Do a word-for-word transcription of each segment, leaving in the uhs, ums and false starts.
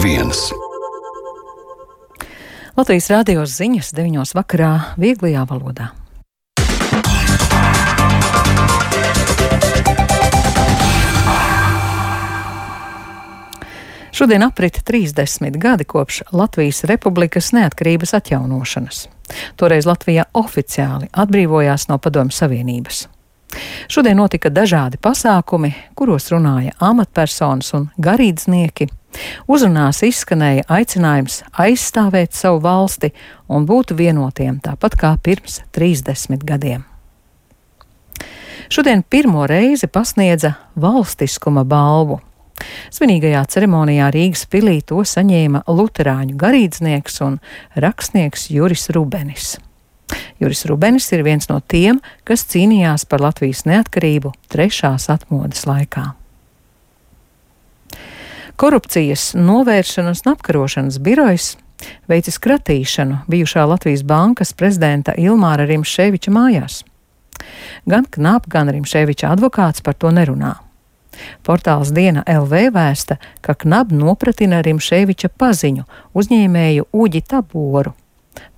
viens. Latvijas rādio ziņas deviņos vakarā vieglajā valodā. Šodien aprit trīsdesmit gadi kopš Latvijas Republikas neatkarības atjaunošanas. Toreiz Latvija oficiāli atbrīvojās no Padomju Savienības. Šodien notika dažādi pasākumi, kuros runāja amatpersonas un garīdznieki. Uzrunās izskanēja aicinājums aizstāvēt savu valsti un būt vienotiem, tāpat kā pirms trīsdesmit gadiem. Šodien pirmo reizi pasniedza valstiskuma balvu. Svinīgajā ceremonijā Rīgas pilī to saņēma luterāņu garīdznieks un rakstnieks Juris Rubenis. Juris Rubenis ir viens no tiem, kas cīnījās par Latvijas neatkarību trešās atmodas laikā. Korupcijas novēršanas un apkarošanas birojs veicis kratīšanu bijušā Latvijas bankas prezidenta Ilmāra Rimšēviča mājās. Gan Knap, gan Rimšēviča advokāts par to nerunā. Portāls Diena L V vēsta, ka Knap nopratina Rimšēviča paziņu, uzņēmēju Uģi Taboru.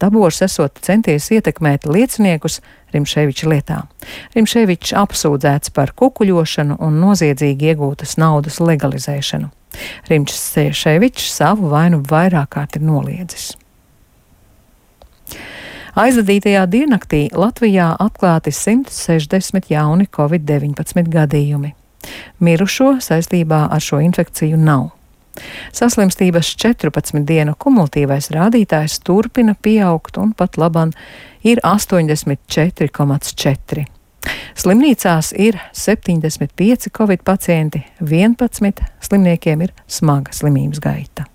Tabors esot centies ietekmēt lieciniekus Rimšēviča lietā. Rimšēvičs apsūdzēts par kukuļošanu un noziedzīgi iegūtas naudas legalizēšanu. Rimšēvičs savu vainu vairāk kārt ir noliedzis. Aizvadītajā diennaktī Latvijā atklāti simt sešdesmit jauni covid deviņpadsmit gadījumi. Mirušo saistībā ar šo infekciju nav. Saslimstības četrpadsmit dienu kumulatīvais rādītājs turpina pieaugt un pat laban ir astoņdesmit četri komats četri. Slimnīcās ir septiņdesmit pieci covid pacienti, vienpadsmit slimniekiem ir smaga slimības gaita.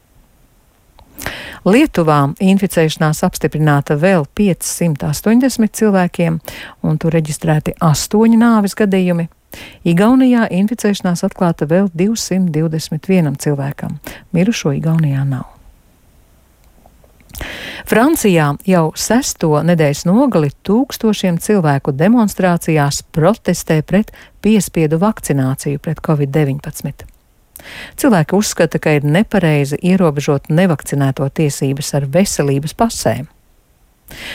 Lietuvā inficēšanās apstiprināta vēl piecsimt astoņdesmit cilvēkiem, un tur reģistrēti astoņi nāves gadījumi. Igaunijā inficēšanās atklāta vēl divsimt divdesmit vienam cilvēkam. Mirušo Igaunijā nav. Francijā jau sesto nedēļas nogali tūkstošiem cilvēku demonstrācijās protestē pret piespiedu vakcināciju pret covid deviņpadsmit. Cilvēki uzskata, ka ir nepareizi ierobežot nevakcinēto tiesības ar veselības pasēm.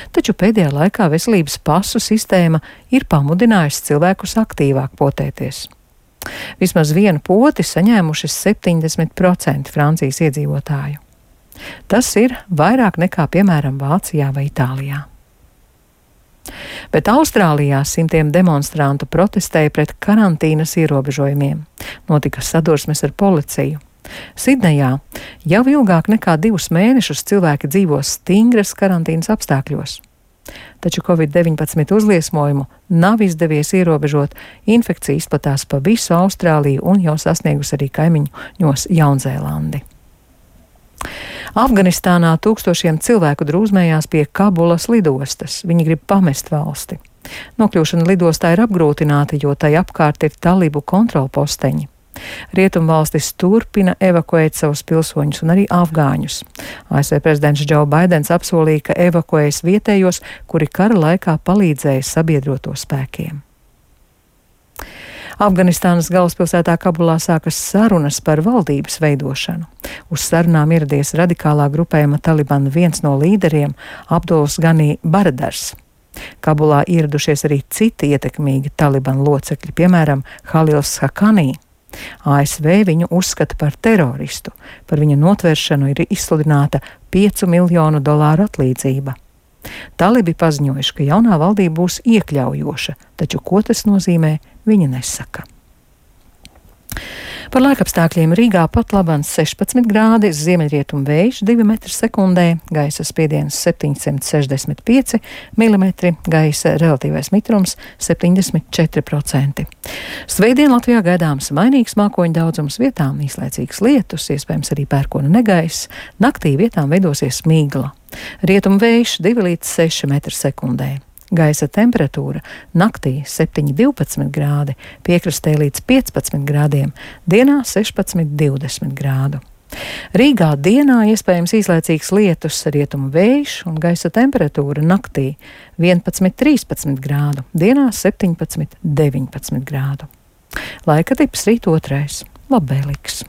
Taču pēdējā laikā veselības pasu sistēma ir pamudinājusi cilvēkus aktīvāk potēties. Vismaz vienu poti saņēmuši septiņdesmit procenti Francijas iedzīvotāju. Tas ir vairāk nekā, piemēram, Vācijā vai Itālijā. Bet Austrālijā simtiem demonstrantu protestēja pret karantīnas ierobežojumiem. Notika sadursmes ar policiju. Sidnejā jau ilgāk nekā divus mēnešus cilvēki dzīvo stingras karantīnas apstākļos. Taču covid deviņpadsmit uzliesmojumu nav izdevies ierobežot, infekcija izplatās pa visu Austrāliju un jau sasniegus arī kaimiņos Jaunzēlandi. Afganistānā tūkstošiem cilvēku drūzmējās pie Kabulas lidostas. Viņi grib pamest valsti. Nokļūšana lidostā ir apgrūtināta, jo tai apkārt ir talibu kontrolposteņi. Rietumvalstis turpina evakuēt savus pilsoņus un arī afgāņus. A S V prezidents Džo Baidens apsolīja, ka evakuēs vietējos, kuri kara laikā palīdzēja sabiedroto spēkiem. Afganistānas galvaspilsētā Kabulā sākas sarunas par valdības veidošanu. Uz sarunām ieradies radikālā grupējuma Taliban viens no līderiem Abduls Gani Baradars. Kabulā ieradušies arī citi ietekmīgi Taliban locekļi, piemēram, Halils Haqqani. A S V viņu uzskata par teroristu. Par viņa notvēršanu ir izsludināta piecu miljonu dolāru atlīdzība. Talibi paziņojuši, ka jaunā valdība būs iekļaujoša, taču ko tas nozīmē, viņi nesaka. Par laikapstākļiem Rīgā pat labāk sešpadsmit grādi, ziemeļrietumu vējš divi metri sekundē, gaisa spiediens septiņsimt sešdesmit pieci milimetri, gaisa relatīvais mitrums septiņdesmit četri procenti. Svētdien Latvijā gaidāms mainīgs mākoņu daudzums, vietām īslaicīgs lietus, iespējams arī pērkona negaiss, naktī vietām veidosies migla. Rietumu vējš divi līdz seši metri sekundē. Gaisa temperatūra naktī septiņi divpadsmit grādi, piekrastē līdz piecpadsmit grādiem, dienā sešpadsmit divdesmit grādu. Rīgā dienā iespējams īslaicīgs lietus, rietumu vējš un gaisa temperatūra naktī vienpadsmit trīspadsmit grādu, dienā septiņpadsmit deviņpadsmit grādu. Laika tips rīt otrais, labvēlīgs.